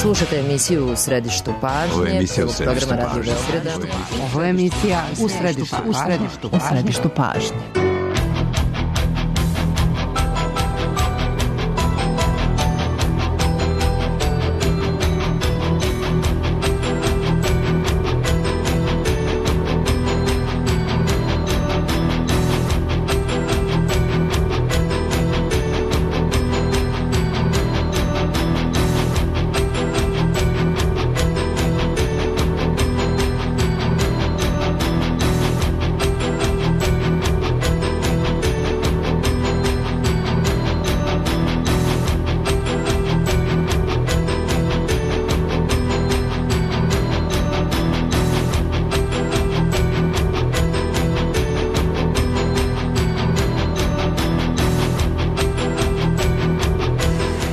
Slušate emisiju U središtu pažnje, programa Radio Beograda. Ovo je emisija U središtu pažnje.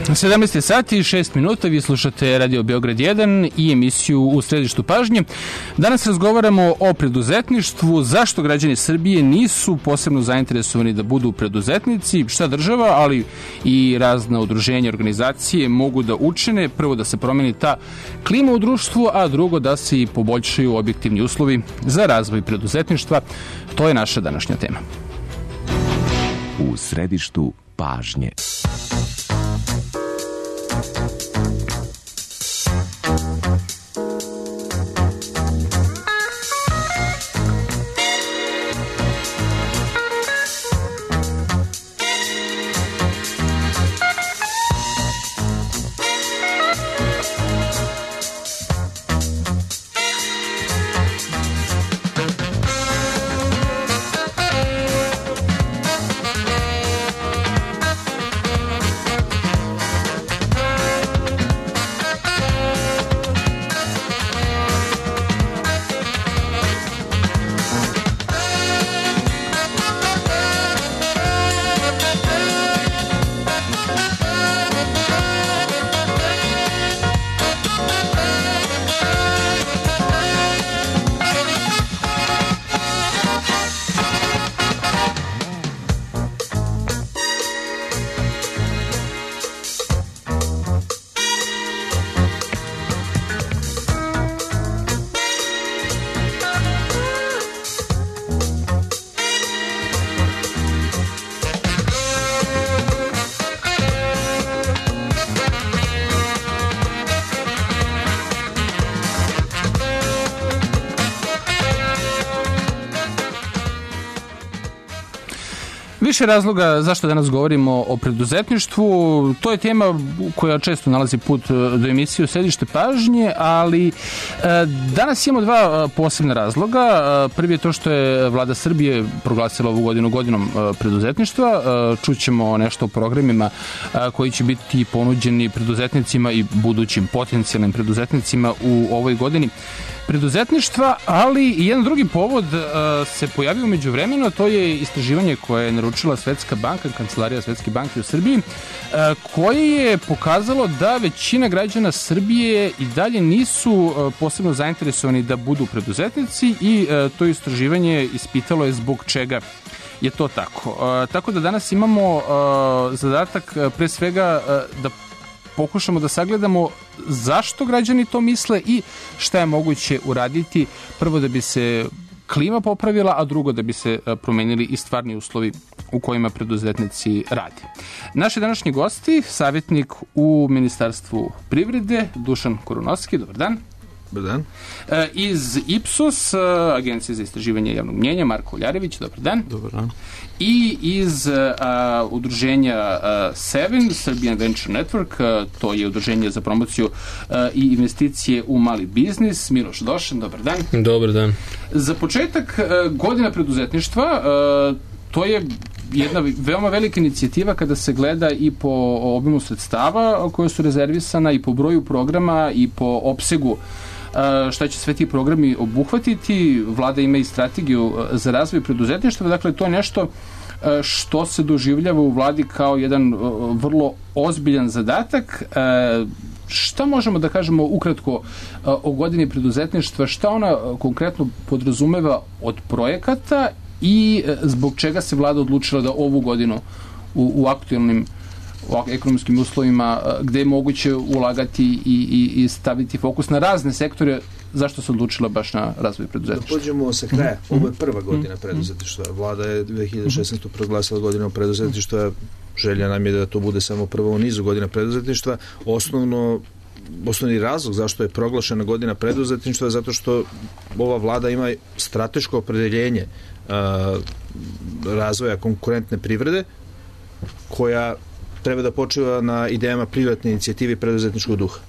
U 17 sati i 6 minuta vi slušate Radio Beograd 1 i emisiju U središtu pažnje. Danas razgovaramo o preduzetništvu, zašto građani Srbije nisu posebno zainteresovani da budu preduzetnici, šta država, ali i razna udruženja, organizacije mogu da učine. Prvo da se promeni ta klima u društvu, a drugo da se i poboljšaju objektivni uslovi za razvoj preduzetništva. To je naša današnja tema. U središtu pažnje. Više razloga zašto danas govorimo o preduzetništvu. To je tema koja često nalazi put do emisije U središte pažnje, ali danas imamo dva posebna razloga. Prvi je to što je vlada Srbije proglasila ovu godinu godinom preduzetništva. Čućemo nešto o programima koji će biti ponuđeni preduzetnicima i budućim potencijalnim preduzetnicima u ovoj godini preduzetništva, ali i jedan drugi povod se pojavio u međuvremenu, to je istraživanje koje je naručila Svetska banka, Kancelarija Svetske banke u Srbiji, koje je pokazalo da većina građana Srbije i dalje nisu posebno zainteresovani da budu preduzetnici i to istraživanje ispitalo je zbog čega je to tako. Tako da danas imamo zadatak pre svega da pokušamo da sagledamo zašto građani to misle i šta je moguće uraditi, prvo da bi se klima popravila, a drugo da bi se promenili i stvarni uslovi u kojima preduzetnici rade. Naši današnji gosti, savjetnik u Ministarstvu privrede, Dušan Kurunovski, dobar dan. Dobar dan. Iz Ipsos, Agencije za istraživanje javnog mnjenja, Marko Uljarević, dobar dan. Dobar dan. I iz udruženja Seven, Serbian Venture Network, to je udruženje za promociju i investicije u mali biznis, Miloš Došan, dobar dan. Dobar dan. Za početak, godina preduzetništva, to je jedna veoma velika inicijativa kada se gleda i po obimu sredstava koje su rezervisana i po broju programa i po opsegu šta će sve ti programi obuhvatiti. Vlada ima i strategiju za razvoj preduzetništva, dakle to je nešto što se doživljava u vladi kao jedan vrlo ozbiljan zadatak. Šta možemo da kažemo ukratko o godini preduzetništva, šta ona konkretno podrazumeva od projekata i zbog čega se vlada odlučila da ovu godinu u aktualnim ekonomskim uslovima, gde je moguće ulagati i staviti fokus na razne sektore. Zašto se odlučila baš na razvoj preduzetništva? Da pođemo sa kraja. Ovo je prva godina preduzetništva. Vlada je 2016. proglasila godinom preduzetništva. Želja nam je da to bude samo prvo u nizu godina preduzetništva. Osnovni razlog zašto je proglašena godina preduzetništva je zato što ova vlada ima strateško opredeljenje razvoja konkurentne privrede koja treba da počiva na idejama privatne inicijative i preduzetničkog duha.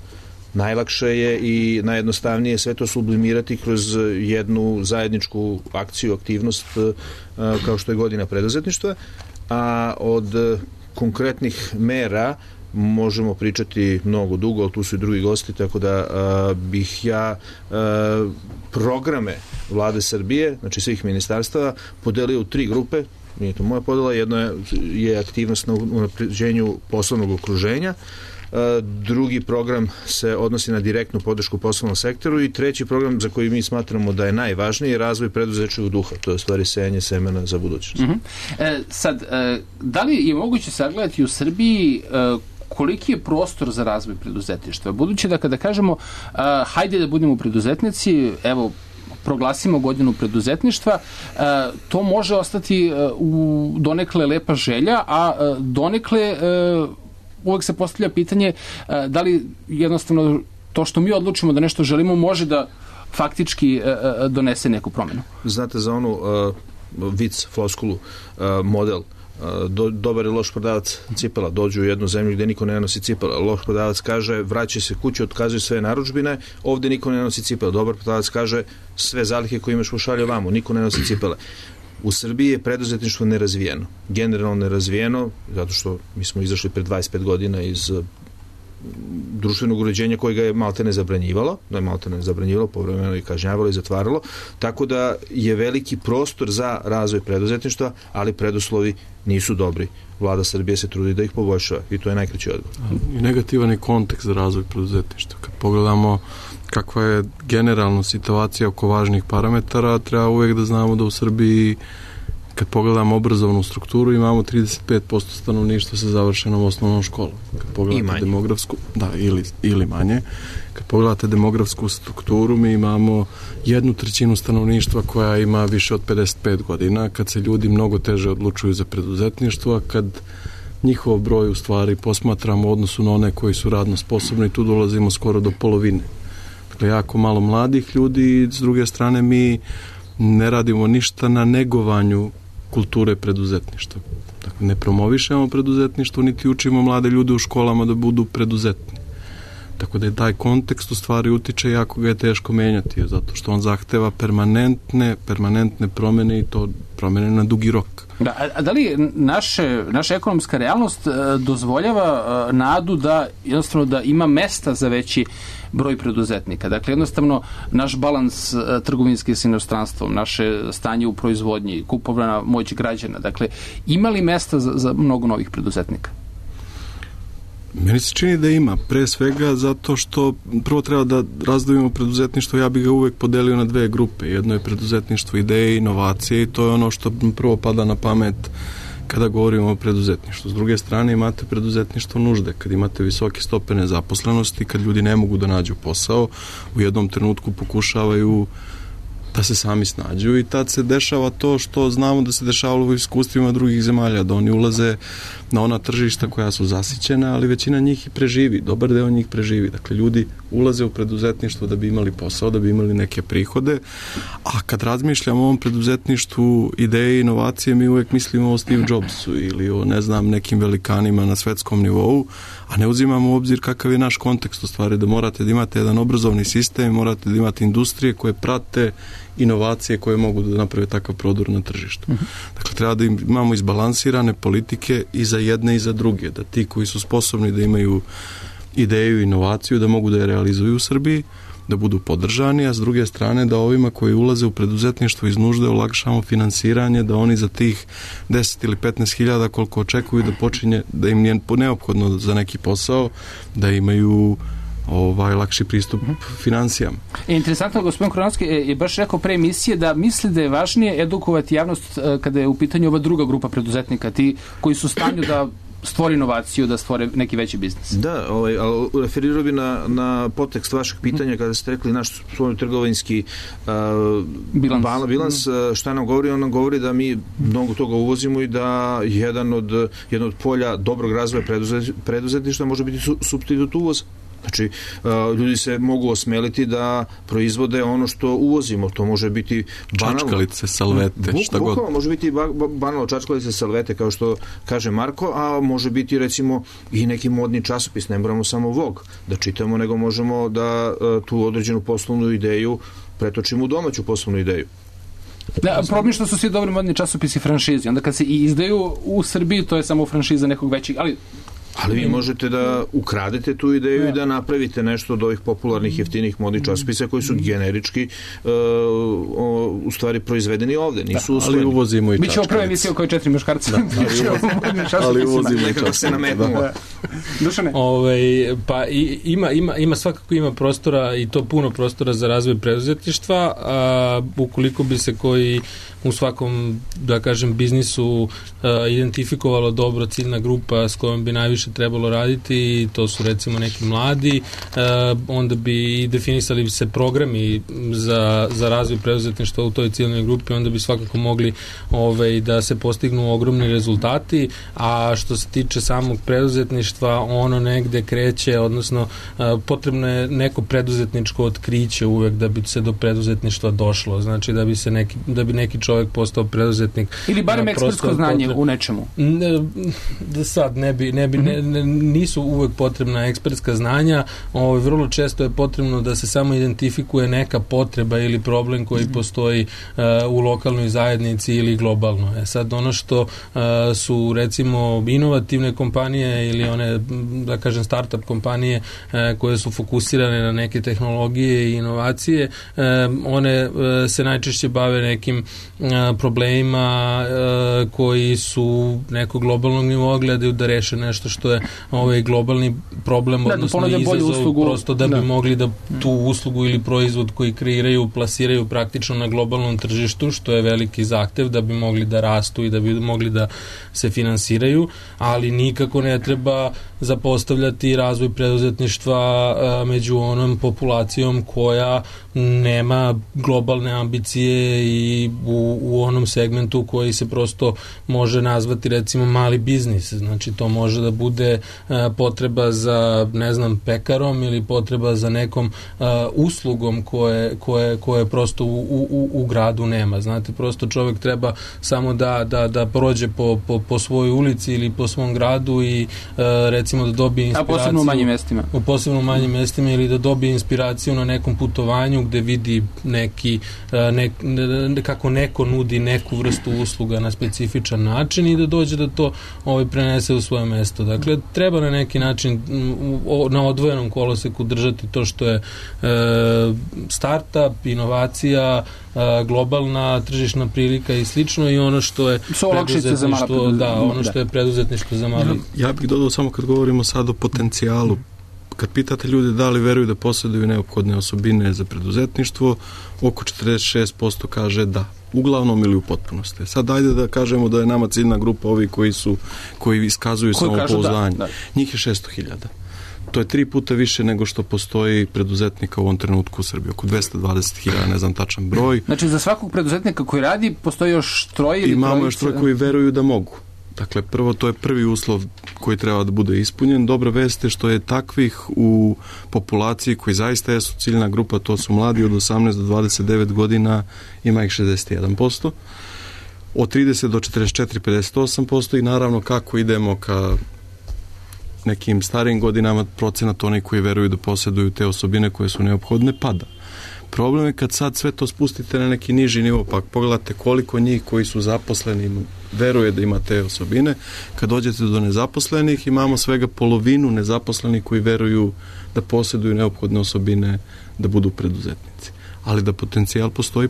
Najlakše je i najjednostavnije sve to sublimirati kroz jednu zajedničku akciju, aktivnost kao što je godina preduzetništva, a od konkretnih mera možemo pričati mnogo dugo, ali tu su i drugi gosti, tako da bih ja programe Vlade Srbije, znači svih ministarstava, podelio u 3 grupe. Nije to moja podela, jedno je aktivnost na unapređenju poslovnog okruženja, drugi program se odnosi na direktnu podršku poslovnom sektoru i treći program za koji mi smatramo da je najvažniji je razvoj preduzetničkog duha, to je stvari sejanje semena za budućnost. Sad, da li je moguće sagledati u Srbiji koliki je prostor za razvoj preduzetništva? Budući da kada kažemo hajde da budemo preduzetnici, evo, proglasimo godinu preduzetništva, to može ostati u donekle lepa želja, a donekle uvek se postavlja pitanje da li jednostavno to što mi odlučimo da nešto želimo može da faktički donese neku promenu. Znate za onu vic, floskulu, model, dobar je loš prodavac cipela, dođu u jednu zemlju gde niko ne nosi cipela, loš prodavac kaže vraćaj se kući, otkazuje sve narudžbine, ovde niko ne nosi cipela, dobar prodavac kaže sve zalihe koje imaš pošalje ovamo, niko ne nosi cipele. U Srbiji je preduzetništvo nerazvijeno, generalno nerazvijeno, zato što mi smo izašli pred 25 godina iz društvenog uređenja koje ga je maltene zabranjivalo, povremeno i kažnjavalo i zatvaralo, tako da je veliki prostor za razvoj preduzetništva, ali preduslovi nisu dobri. Vlada Srbije se trudi da ih poboljšava i to je najkraći odgovor. I negativan je kontekst za razvoj preduzetništva. Kad pogledamo kakva je generalna situacija oko važnih parametara, treba uvek da znamo da u Srbiji, kad pogledamo obrazovnu strukturu, imamo 35% stanovništva sa završenom osnovnom školom. Kad pogledate demografsku, ili manje. Kad pogledate demografsku strukturu, mi imamo 1/3 stanovništva koja ima više od 55 godina, kad se ljudi mnogo teže odlučuju za preduzetništvo, a kad njihov broj u stvari posmatramo u odnosu na one koji su radno sposobni, tu dolazimo skoro do polovine. Dakle, jako malo mladih ljudi i s druge strane mi ne radimo ništa na negovanju kulture preduzetništva. Dakle, ne promovišemo preduzetništvo, niti učimo mlade ljude u školama da budu preduzetni. Tako da je taj kontekst u stvari utiče, jako ga je teško menjati, zato što on zahteva permanentne promene i to promene na dugi rok. Da li naša ekonomska realnost dozvoljava nadu da jednostavno da ima mesta za veći broj preduzetnika? Dakle, jednostavno naš balans trgovinski s inostranstvom, naše stanje u proizvodnji, kupovna moć građana, dakle, ima li mesta za mnogo novih preduzetnika? Meni se čini da ima, pre svega zato što prvo treba da razdvojimo preduzetništvo, ja bih ga uvek podelio na 2 grupe. Jedno je preduzetništvo ideje i inovacije i to je ono što prvo pada na pamet kada govorimo o preduzetništvu. S druge strane imate preduzetništvo nužde, kad imate visoke stope nezaposlenosti, kad ljudi ne mogu da nađu posao, u jednom trenutku pokušavaju da se sami snađu i tad se dešava to što znamo da se dešavalo u iskustvima drugih zemalja, da oni ulaze na ona tržišta koja su zasićena, ali većina njih i preživi, dobar deo njih preživi. Dakle, ljudi ulaze u preduzetništvo da bi imali posao, da bi imali neke prihode, a kad razmišljamo o ovom preduzetništvu ideje i inovacije, mi uvek mislimo o Steve Jobsu ili o, nekim velikanima na svetskom nivou, a ne uzimamo u obzir kakav je naš kontekst u stvari, da morate da imate jedan obrazovni sistem, morate da imate industrije koje prate inovacije koje mogu da naprave takav prodor na tržištu. Dakle, treba da imamo izbalansirane politike i za jedne i za druge, da ti koji su sposobni da imaju ideju i inovaciju, da mogu da je realizuju u Srbiji, da budu podržani, a s druge strane da ovima koji ulaze u preduzetništvo iz nužde olakšamo finansiranje, da oni za tih 10 ili 15 hiljada koliko očekuju da počinje, da im je neophodno za neki posao, da imaju lakši pristup finansijama. Interesantno, gospodin Kronovski je baš rekao pre emisije da misli da je važnije edukovati javnost kada je u pitanju ova druga grupa preduzetnika, ti koji su u stanju da stvori inovaciju, da stvore neki veći biznis. Da, ali referirao bi na podtekst vašeg pitanja kada ste rekli naš trgovinski bilans, šta nam govori? On nam govori da mi mnogo toga uvozimo i da jedno od polja dobrog razvoja preduzetništva može biti supstitut uvoza. Znači, ljudi se mogu osmeliti da proizvode ono što uvozimo. To može biti banalno. Čačkalice, salvete, šta god. Može biti banalno čačkalice, salvete, kao što kaže Marko, a može biti, recimo, i neki modni časopis. Ne moramo samo Vogue da čitamo, nego možemo da tu određenu poslovnu ideju pretočimo u domaću poslovnu ideju. Da, problem što su svi dobri modni časopisi franšizi. Onda kad se i izdaju u Srbiji, to je samo franšiza nekog većeg, ali vi možete da ukradete tu ideju i da napravite nešto od ovih popularnih jeftinih modnih časopisa koji su generički u stvari proizvedeni ovde, nisu usvojeni. Ali uvozimo i čačkalice. Mi ćemo prve emisije koje 4 muškarca. Ali uvozimo i čačkalice. Dušane? Pa ima svakako ima prostora i to puno prostora za razvoj preduzetništva, ukoliko bi se koji u svakom, da kažem, biznisu identifikovalo dobro ciljna grupa s kojom bi najviše trebalo raditi, to su recimo neki mladi, onda bi i definisali se programi za razvoj preduzetništva u toj ciljnoj grupi, onda bi svakako mogli da se postignu ogromni rezultati, a što se tiče samog preduzetništva, ono negde kreće, odnosno potrebno je neko preduzetničko otkriće uvek da bi se do preduzetništva došlo, znači da bi neki čovjek postao preduzetnik. Ili barem ekspertsko znanje u nečemu. Sad nisu uvek potrebna ekspertska znanja, vrlo često je potrebno da se samo identifikuje neka potreba ili problem koji postoji u lokalnoj zajednici ili globalno. Sad ono što su recimo inovativne kompanije ili one, da kažem, startup kompanije koje su fokusirane na neke tehnologije i inovacije, one se najčešće bave nekim problemima koji su nekog globalnog nivoa, gledaju da reše nešto što je globalni problem, odnosno izazov, prosto da bi mogli da tu uslugu ili proizvod koji kreiraju, plasiraju praktično na globalnom tržištu, što je veliki zahtev da bi mogli da rastu i da bi mogli da se finansiraju, ali nikako ne treba zapostavljati razvoj preduzetništva među onom populacijom koja nema globalne ambicije i u onom segmentu koji se prosto može nazvati recimo mali biznis. Znači to može da bude potreba za, ne znam, pekarom ili potreba za nekom uslugom koje prosto u gradu nema. Znate, prosto čovjek treba samo da prođe po svojoj ulici ili po svom gradu i recimo da dobije inspiraciju. A posebno u manjim mestima. U posebno manjim mestima ili da dobije inspiraciju na nekom putovanju gde vidi kako neko nudi neku vrstu usluga na specifičan način i da dođe da to prenese u svoje mesto. Dakle, treba na neki način na odvojenom koloseku držati to što je startup, inovacija, globalna tržišna prilika i slično i ono što je preduzetništvo, ono što je preduzetništvo za mali. Ja bih dodao samo kad govorimo sad o potencijalu. Kad pitate ljude da li veruju da posjeduju neophodne osobine za preduzetništvo, oko 46% kaže da. Uglavnom ili u potpunosti. Sad ajde da kažemo da je nama ciljna grupa ovi koji iskazuju samopouzdanje. Njih je 600.000. To je 3 puta više nego što postoji preduzetnika u ovom trenutku u Srbiji. Oko 220.000, ne znam tačan broj. Znači za svakog preduzetnika koji radi postoji još troje ili imamo još troje koji veruju da mogu. Dakle, prvo, to je prvi uslov koji treba da bude ispunjen. Dobra vest je što je takvih u populaciji koji zaista jesu ciljna grupa, to su mladi od 18 do 29 godina, ima ih 61%. Od 30 do 44, 58% i naravno kako idemo ka nekim starijim godinama, procenat onih koji veruju da posjeduju te osobine koje su neophodne pada. Problem je kad sad sve to spustite na neki niži nivo, pa pogledate koliko njih koji su zaposleni veruje da ima te osobine. Kad dođete do nezaposlenih, imamo svega polovinu nezaposlenih koji veruju da posjeduju neophodne osobine da budu preduzetnici. Ali da potencijal postoji.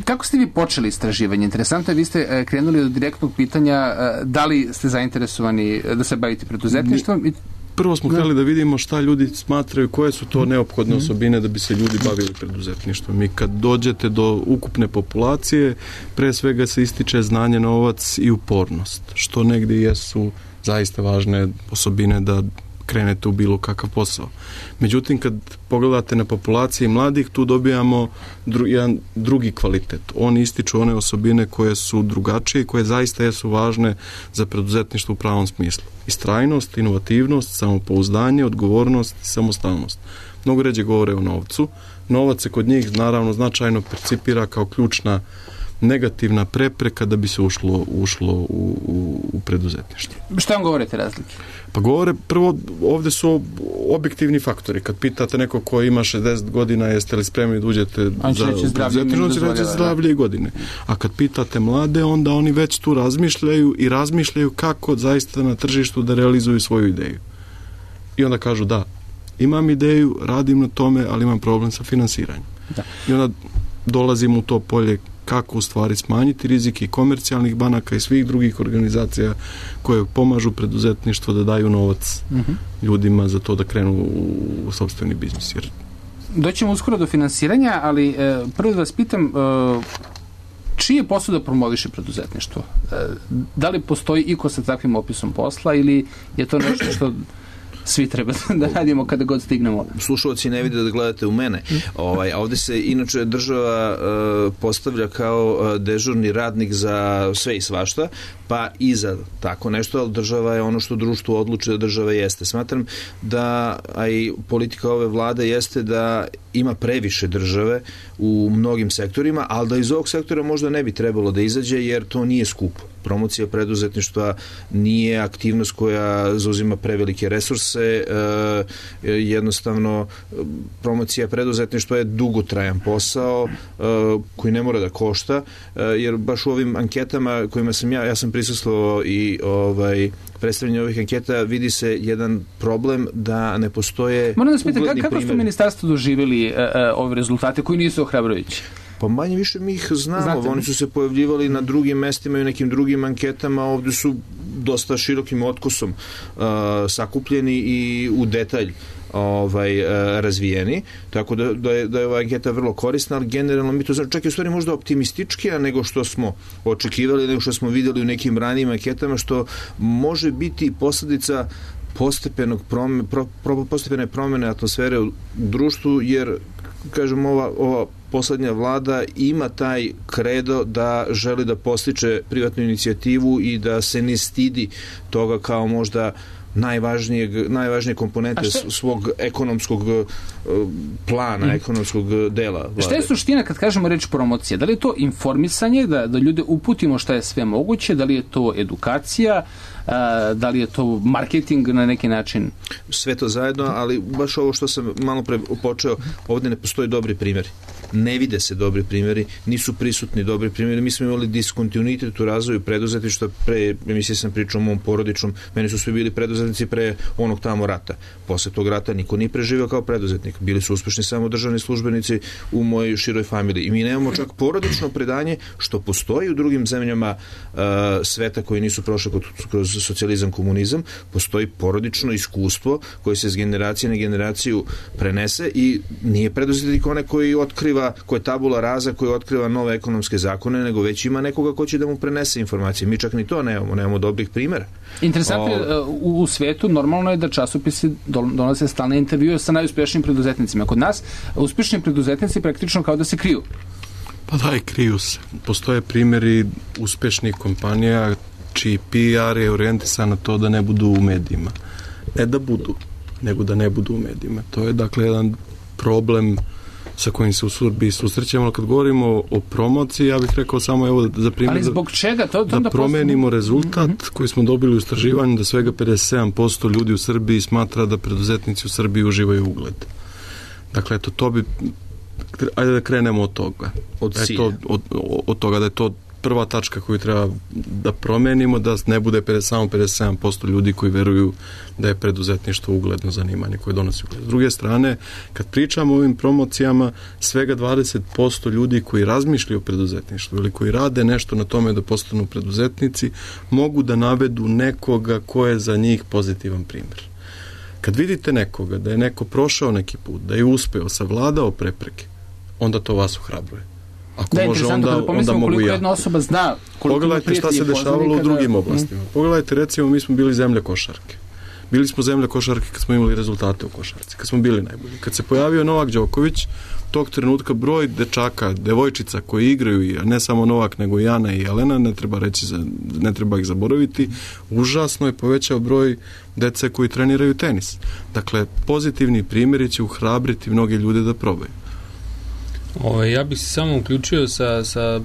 Kako ste vi počeli istraživanje? Interesantno je, vi ste krenuli od direktnog pitanja da li ste zainteresovani da se bavite preduzetništvom? prvo smo htjeli da vidimo šta ljudi smatraju, koje su to neophodne osobine da bi se ljudi bavili preduzetništvom. I kad dođete do ukupne populacije, pre svega se ističe znanje, novac i upornost, što negdje jesu zaista važne osobine da krenete u bilo kakav posao. Međutim, kad pogledate na populaciji mladih, tu dobijamo jedan drugi kvalitet. Oni ističu one osobine koje su drugačije i koje zaista jesu važne za preduzetništvo u pravom smislu. Istrajnost, inovativnost, samopouzdanje, odgovornost i samostalnost. Mnogo ređe govore o novcu. Novac se kod njih naravno značajno percipira kao ključna negativna prepreka da bi se ušlo u preduzetništvo. Šta vam govorite razlike? Pa govore, prvo, ovdje su objektivni faktori. Kad pitate neko ko ima 60 godina, jeste li spremni da uđete za preduzetništvo, on će reći zdravlje i godine. A kad pitate mlade, onda oni već tu razmišljaju kako zaista na tržištu da realizuju svoju ideju. I onda kažu da, imam ideju, radim na tome, ali imam problem sa finansiranjem. Da. I onda dolazimo u to polje kako u stvari smanjiti rizik i komercijalnih banaka i svih drugih organizacija koje pomažu preduzetništvo da daju novac ljudima za to da krenu u sopstveni biznis. Doćemo uskoro do finansiranja, ali prvo da vas pitam, čiji je posao da promoviše preduzetništvo? Da li postoji iko sa takvim opisom posla ili je to nešto što svi treba da radimo kada god stignemo? Slušalci ne vide da gledate u mene. Ovdje se inače država postavlja kao dežurni radnik za sve i svašta, pa i za tako nešto, ali država je ono što društvo odluči da država jeste. Smatram da, a i politika ove vlade jeste da ima previše države u mnogim sektorima, ali da iz ovog sektora možda ne bi trebalo da izađe, jer to nije skupo. Promocija preduzetništva nije aktivnost koja zauzima prevelike resurse, jednostavno promocija preduzetništva je dugotrajan posao koji ne mora da košta, jer baš u ovim anketama kojima sam ja sam prisustvovao i predstavljanje ovih anketa, vidi se jedan problem da ne postoje moram da vas pitam, kako primjeri. ste u ministarstvu doživjeli ove rezultate koji nisu ohrabrujući? Pa manje više mi ih znamo. Oni su se pojavljivali na drugim mestima i u nekim drugim anketama. Ovdje su dosta širokim otkosom sakupljeni i u detalj razvijeni. Tako da je ova anketa vrlo korisna, ali generalno mi to znači čak i u stvari možda optimističkija nego što smo očekivali, nego što smo vidjeli u nekim ranijim anketama, što može biti posljedica postepene promjene atmosfere u društvu, jer kažem, ova poslednja vlada ima taj kredo da želi da postiče privatnu inicijativu i da se ne stidi toga kao možda najvažnije komponente svog ekonomskog plana, ekonomskog dela vlade. Šta je suština kad kažemo reč promocija? Da li je to informisanje, da ljude uputimo šta je sve moguće, da li je to edukacija, da li je to marketing na neki način? Sve to zajedno, ali baš ovo što sam malo pre počeo, ovdje ne postoji dobri primjeri. Ne vide se dobri primjeri, nisu prisutni dobri primjeri. Mi smo imali diskontinuitet u razvoju preduzetništva. Pre emisije sam pričao o mom porodičnom, meni su svi bili preduzetnici pre onog tamo rata. Posle tog rata niko nije preživio kao preduzetnik. Bili su uspešni samo državni službenici u mojoj široj familiji. I mi nemamo čak porodično predanje, što postoji u drugim zemljama sveta koji nisu prošli kroz socijalizam, komunizam. Postoji porodično iskustvo koje se s generacije na generaciju prenese i nije preduzetnik onaj koji otkriva, koji je tabula rasa, koji otkriva nove ekonomske zakone, nego već ima nekoga ko će da mu prenese informacije. Mi čak ni to nemamo dobrih primjera. Interesantno, u svetu normalno je da časopisi donose stalne intervjue sa najuspješnijim preduzetnicima. Kod nas uspješni preduzetnici praktično kao da se kriju. Pa da, i kriju se. Postoje primjeri uspješnih kompanija čiji PR je orijentisan na to da ne budu u medijima. Ne da budu, nego da ne budu u medijima. To je dakle jedan problem sa kojim se u Srbiji susrećemo. Kad govorimo o promociji, ja bih rekao samo evo za primjer, ali zbog čega? Da promenimo rezultat koji smo dobili u istraživanju, da svega 57% ljudi u Srbiji smatra da preduzetnici u Srbiji uživaju ugled. Dakle, to bi, ajde da krenemo od toga. Od toga da je to prva tačka koju treba da promenimo, da ne bude samo 57% ljudi koji veruju da je preduzetništvo ugledno zanimanje koje donosi ugled. S druge strane, kad pričamo o ovim promocijama, svega 20% ljudi koji razmišljaju o preduzetništvu ili koji rade nešto na tome da postanu preduzetnici, mogu da navedu nekoga ko je za njih pozitivan primjer. Kad vidite nekoga, da je neko prošao neki put, da je uspeo, savladao prepreke, onda to vas ohrabruje. Ako da, može, onda mogu ja. Jedna osoba zna pogledajte šta se dešavalo u drugim oblastima. Pogledajte, recimo, mi smo bili zemlja košarke. Bili smo zemlja košarke kad smo imali rezultate u košarci, kad smo bili najbolji. Kad se pojavio Novak Đoković, tog trenutka broj dečaka, devojčica koji igraju, a ne samo Novak, nego i Ana i Jelena, ne treba ih zaboraviti, užasno je povećao broj dece koji treniraju tenis. Dakle, pozitivni primjeri će uhrabriti mnoge ljude da probaju. Ja bih se samo uključio sa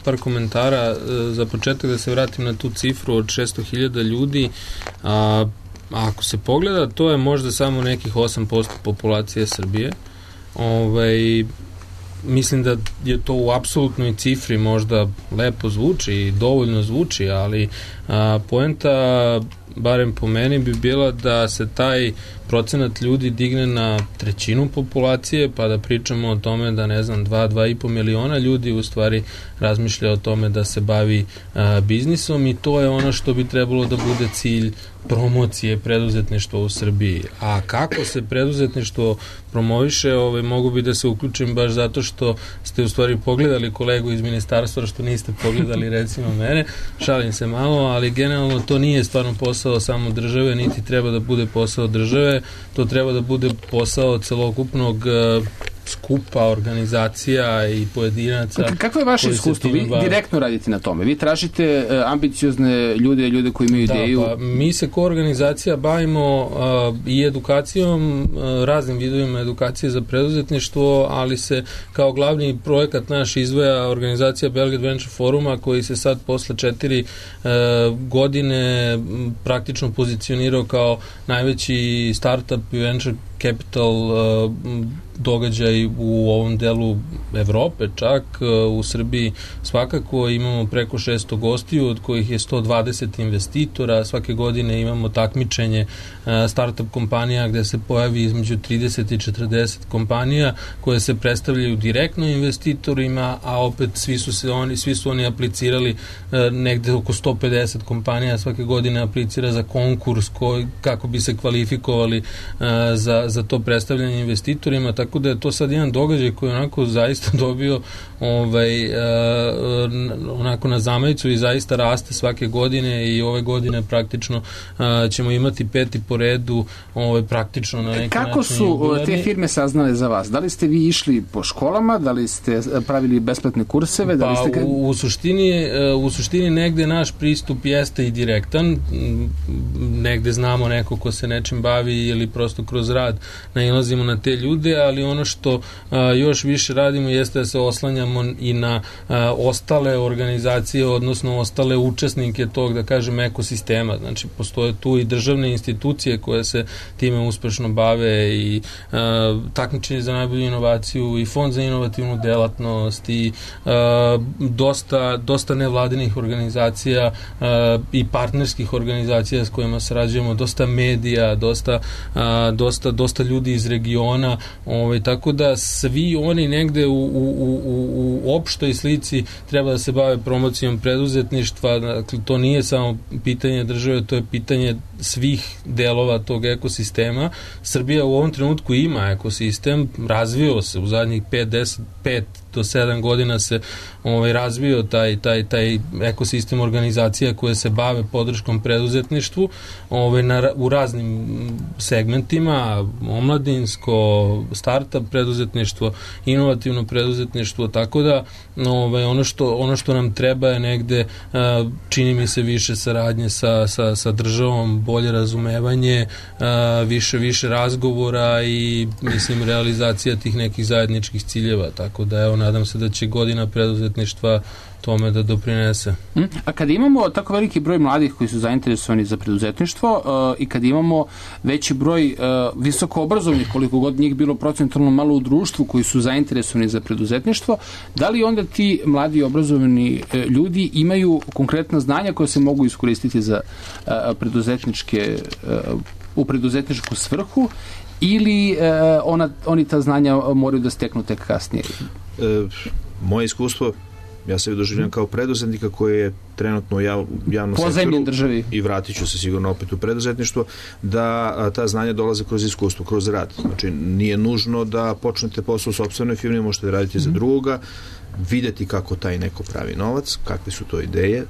par komentara. Za početak da se vratim na tu cifru od 600.000 ljudi. Ako se pogleda, to je možda samo nekih 8% populacije Srbije. Mislim da je to u apsolutnoj cifri možda lepo zvuči i dovoljno zvuči, ali poenta, barem po meni, bi bila da se taj procenat ljudi digne na 1/3 populacije, pa da pričamo o tome da, 2,5 miliona ljudi u stvari razmišlja o tome da se bavi biznisom, i to je ono što bi trebalo da bude cilj promocije preduzetništva u Srbiji. A kako se preduzetništvo promoviše, mogu bi da se uključim baš zato što ste u stvari pogledali kolegu iz ministarstva, što niste pogledali recimo mene, šalim se malo, ali generalno to nije stvarno posao samo države, niti treba da bude posao države, to treba da bude posao celokupnog skupa, organizacija i pojedinaca. Kako je vaše iskustvo? Vi direktno radite na tome. Vi tražite ambiciozne ljude koji imaju ideju. Pa, mi se kao organizacija bavimo i edukacijom, raznim vidovima edukacije za preduzetništvo, ali se kao glavni projekat naš izdvaja organizacija Belgrade Venture Foruma, koji se sad posle 4 godine praktično pozicionirao kao najveći startup i venture capital događaj u ovom delu Evrope, čak u Srbiji svakako imamo preko 600 gostiju, od kojih je 120 investitora. Svake godine imamo takmičenje startup kompanija gde se pojavi između 30 i 40 kompanija koje se predstavljaju direktno investitorima, a opet svi su oni aplicirali, negde oko 150 kompanija svake godine aplicira za konkurs kako bi se kvalifikovali za to predstavljanje investitorima, tako da je to sad jedan događaj koji onako zaista dobio onako na zamajicu i zaista raste svake godine, i ove godine praktično ćemo imati 5. po redu praktično na neki način. Kako su te firme saznale za vas? Da li ste vi išli po školama, da li ste pravili besplatne kurseve? Da li ste... U suštini negde naš pristup jeste i direktan, negde znamo neko ko se nečim bavi ili prosto kroz rad nailazimo na te ljude, ali ono što još više radimo jeste da se oslanjamo i na ostale organizacije, odnosno ostale učesnike tog, da kažem, ekosistema. Znači, postoje tu i državne institucije koje se time uspešno bave, i takmičenje za najbolju inovaciju, i fond za inovativnu delatnost, i dosta nevladinih organizacija i partnerskih organizacija s kojima sarađujemo, dosta medija, dosta ljudi iz regiona, tako da svi oni negde u opštoj slici treba da se bave promocijom preduzetništva. Dakle, to nije samo pitanje države, to je pitanje svih delova tog ekosistema. Srbija u ovom trenutku ima ekosistem, razvio se u zadnjih 5 do 7 godina se razvio taj ekosistem organizacija koje se bave podrškom preduzetništvu u raznim segmentima, omladinsko, startup preduzetništvo, inovativno preduzetništvo, tako da ono što nam treba je negde, čini mi se, više saradnje sa državom, bolje razumevanje, više razgovora i, mislim, realizacija tih nekih zajedničkih ciljeva, tako da nadam se da će godina preduzetništva tome da doprinese. A kada imamo tako veliki broj mladih koji su zainteresovani za preduzetništvo i kada imamo veći broj visoko obrazovnih, koliko god njih bilo procentualno malo u društvu, koji su zainteresovani za preduzetništvo, da li onda ti mladi obrazovani ljudi imaju konkretna znanja koja se mogu iskoristiti za u preduzetničku svrhu, ili oni ta znanja moraju da steknu tek kasnije? Moje iskustvo Ja se doživljam kao preduzetnika koji je trenutno u javnom sektoru državi. I vratit ću se sigurno opet u preduzetništvo, da ta znanja dolaze kroz iskustvo, kroz rad. Znači, nije nužno da počnete posao u sopstvenoj firmi, možete da radite za drugoga, vidjeti kako taj neko pravi novac, kakve su to ideje,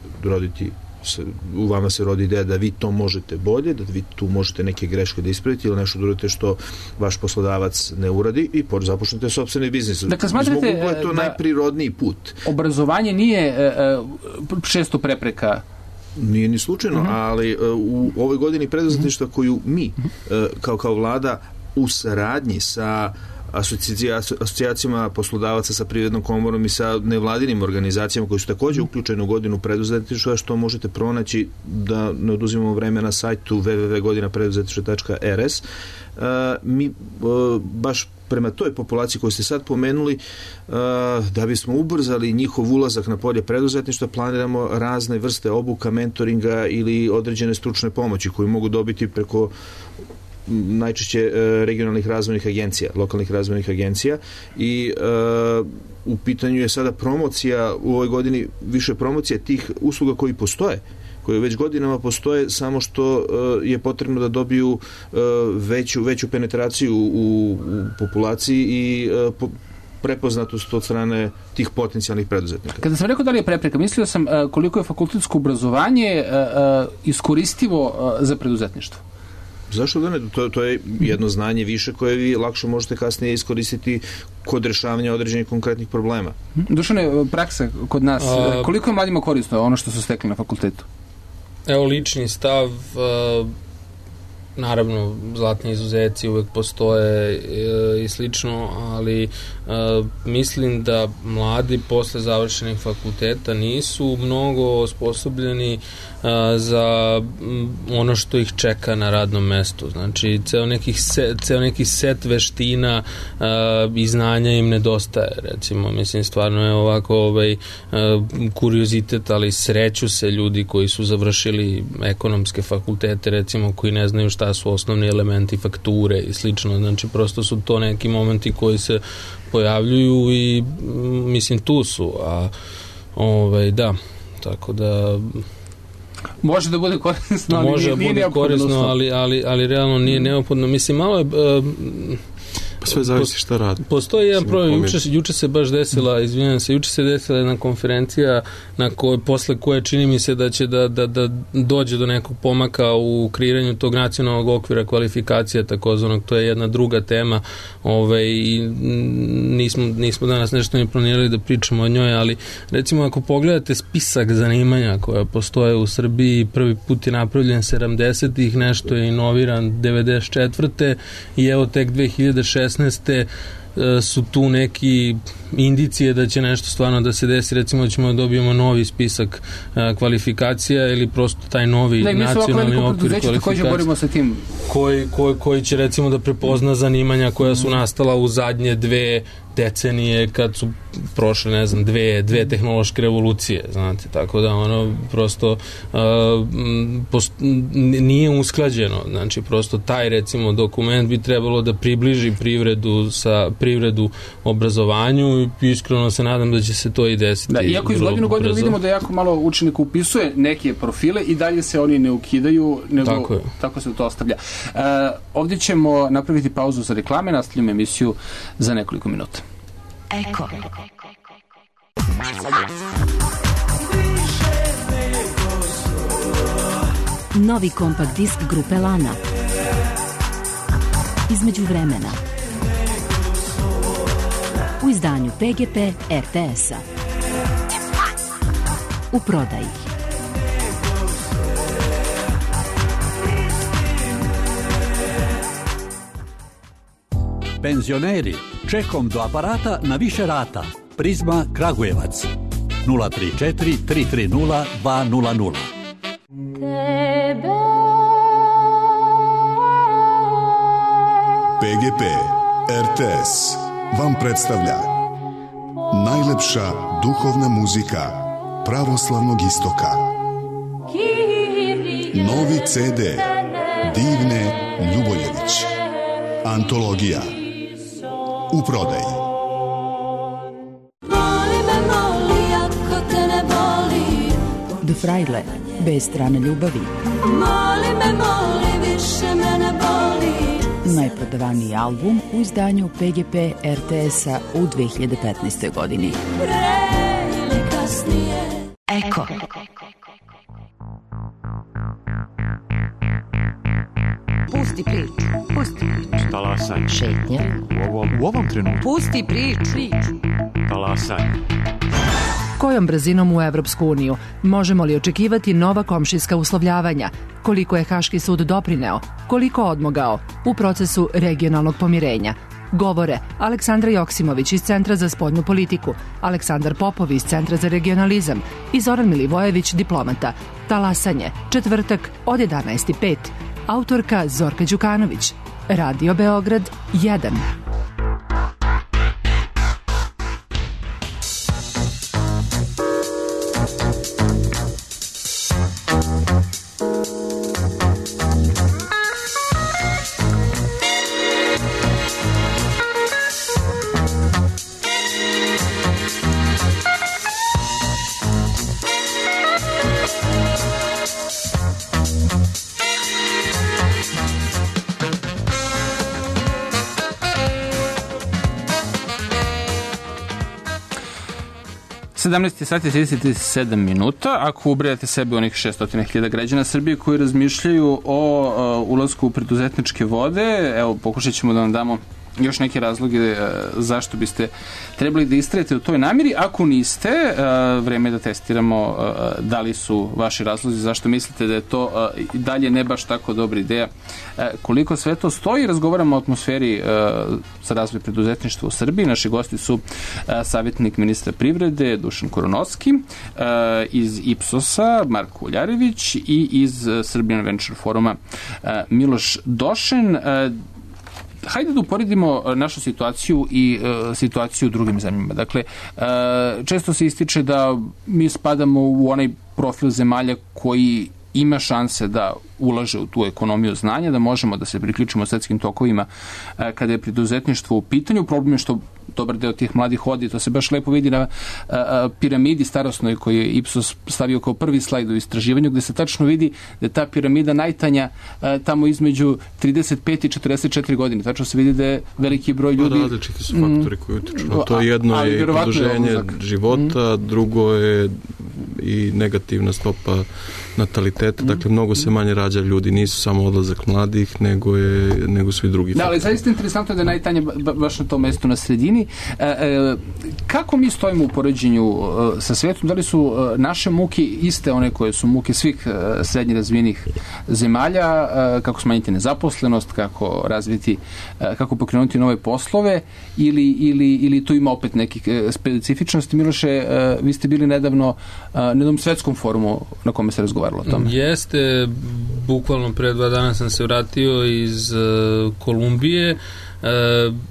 u vama se rodi ideja da vi to možete bolje, da vi tu možete neke greške da ispravite ili nešto da što vaš poslodavac ne uradi i započnete sopstveni biznis. Dakle, smatrate je to najprirodniji put. Obrazovanje nije često prepreka? Nije ni slučajno, ali u ovoj godini preduzetništva koju mi kao vlada u saradnji sa asocijacijama poslodavaca, sa Privrednom komorom i sa nevladinim organizacijama koji su također uključeni u godinu preduzetništva, što možete pronaći, da ne oduzimamo vreme, na sajtu www.godinapreduzetništva.rs. Mi baš prema toj populaciji koju ste sad pomenuli, da bismo ubrzali njihov ulazak na polje preduzetništva, planiramo razne vrste obuka, mentoringa ili određene stručne pomoći koju mogu dobiti preko najčešće regionalnih razvojnih agencija, lokalnih razvojnih agencija, i u pitanju je sada promocija u ovoj godini, više promocije tih usluga koji postoje, koje već godinama postoje, samo što je potrebno da dobiju veću penetraciju u populaciji i prepoznatost od strane tih potencijalnih preduzetnika. Kada sam rekao da li je prepreka, mislio sam koliko je fakultetsko obrazovanje iskoristivo za preduzetništvo. Zašto da ne? To je jedno znanje više koje vi lakše možete kasnije iskoristiti kod rješavanja određenih konkretnih problema. Dušane, praksa kod nas, koliko je mladima korisno ono što su stekli na fakultetu? Evo, lični stav, naravno, zlatni izuzeci uvek postoje i slično, ali mislim da mladi posle završenih fakulteta nisu mnogo osposobljeni za ono što ih čeka na radnom mestu. Znači, ceo neki set veština i znanja im nedostaje. Recimo, mislim, stvarno je ovako kuriozitet, ali sreću se ljudi koji su završili ekonomske fakultete, recimo, koji ne znaju šta su osnovni elementi fakture i slično. Znači, prosto su to neki momenti koji se pojavljuju i mislim tu su, a da, tako da može da bude korisno, ali može nije bude korisno, ali realno nije neophodno. Mislim, malo je sve zavisi šta radi. Postoji jedan problem, juče se baš desila, juče se desila jedna konferencija posle koje čini mi se da će da dođe do nekog pomaka u kreiranju tog nacionalnog okvira kvalifikacija takozvanog. To je jedna druga tema i nismo danas nešto ni planirali da pričamo o njoj, ali recimo ako pogledate spisak zanimanja koja postoje u Srbiji, prvi put je napravljen 70-ih, nešto je inoviran 94. i evo tek 2016. su tu neki indicije da će nešto stvarno da se desi, recimo da ćemo da dobijemo novi spisak kvalifikacija ili prosto taj novi nacionalni okvir kvalifikacija koji će recimo da prepozna zanimanja koja su nastala u zadnje 2 decenije kad su prošle, ne znam, dve tehnološke revolucije, znate, tako da ono prosto nije usklađeno, znači prosto taj recimo dokument bi trebalo da približi privredu obrazovanju i iskreno se nadam da će se to i desiti. Da, iako iz godinu vidimo da jako malo učenika upisuje neke profile i dalje se oni ne ukidaju, nego tako se to ostavlja. Ovdje ćemo napraviti pauzu za reklame, nastavljamo emisiju za nekoliko minuta. Eko. Novi kompakt disk grupe Lana. Između vremena. U izdanju PGP RTS-a. U prodaji. Penzioneri, čekom do aparata na više rata. Prizma Kragujevac 034 330 200. PGP RTS vam predstavlja najlepša duhovna muzika pravoslavnog istoka. Novi CD Divne Ljuboljević. Antologija. U prodaji. The Fraile, bez strane ljubavi. Moli me, više me ne boli. Najprodavaniji album u izdanju PGP RTS-a u 2015. godini. Pre ili kasnije. Eko. Pusti priču. Talasaj. Šetnja. U ovom trenutku. Pusti priču. Talasaj. Kojom brzinom u Evropsku uniju? Možemo li očekivati nova komšijska uslovljavanja? Koliko je Haški sud doprineo? Koliko odmogao u procesu regionalnog pomirenja? Govore Aleksandra Joksimović iz Centra za spoljnu politiku, Aleksandar Popov iz Centra za regionalizam i Zoran Milivojević, diplomata. Talasanje, četvrtak od 11:05. Autorka Zorka Đukanović. Radio Beograd 1. Sati 37 minuta. Ako ubrajate sebe onih 600.000 građana Srbije koji razmišljaju o ulasku u preduzetničke vode, evo, pokušat ćemo da vam damo još neke razloge zašto biste trebali da istrajete u toj namjeri. Ako niste, vreme je da testiramo da li su vaši razlozi, zašto mislite da je to dalje ne baš tako dobra ideja. Koliko sve to stoji, razgovaramo o atmosferi za razvoj preduzetništva u Srbiji. Naši gosti su savjetnik ministra privrede Dušan Koronovski, iz Ipsosa Marko Uljarević i iz Serbian Venture Foruma Miloš Došen. Hajde da uporedimo našu situaciju i situaciju u drugim zemljama. Dakle, često se ističe da mi spadamo u onaj profil zemalja koji ima šanse da ulaže u tu ekonomiju znanja, da možemo da se priključimo svetskim tokovima kada je preduzetništvo u pitanju. Problem je što dobar deo tih mladih odi, to se baš lepo vidi na piramidi starosnoj koju je Ipsos stavio kao prvi slajd u istraživanju, gde se tačno vidi da je ta piramida najtanja tamo između 35 i 44 godine. Tačno se vidi da je veliki broj ljudi... Različiti su faktori koji utiču. To jedno je produženje života, drugo je i negativna stopa nataliteta, dakle mnogo se manje rađa ljudi, nisu samo odlazak mladih, nego svi drugi. Da, ali zaista interesantno je da je najtanje baš na tom mestu na sredini. Kako mi stojimo u poređenju sa svetom? Da li su naše muke iste one koje su muke svih srednje razvijenih zemalja? Kako smanjiti nezaposlenost, kako razviti, kako pokrenuti nove poslove ili tu ima opet nekih specifičnosti? Miloše, vi ste bili nedavno na jednom svetskom forumu na kome se razgovaralo o tome. Jeste, bukvalno pre 2 dana sam se vratio iz Kolumbije.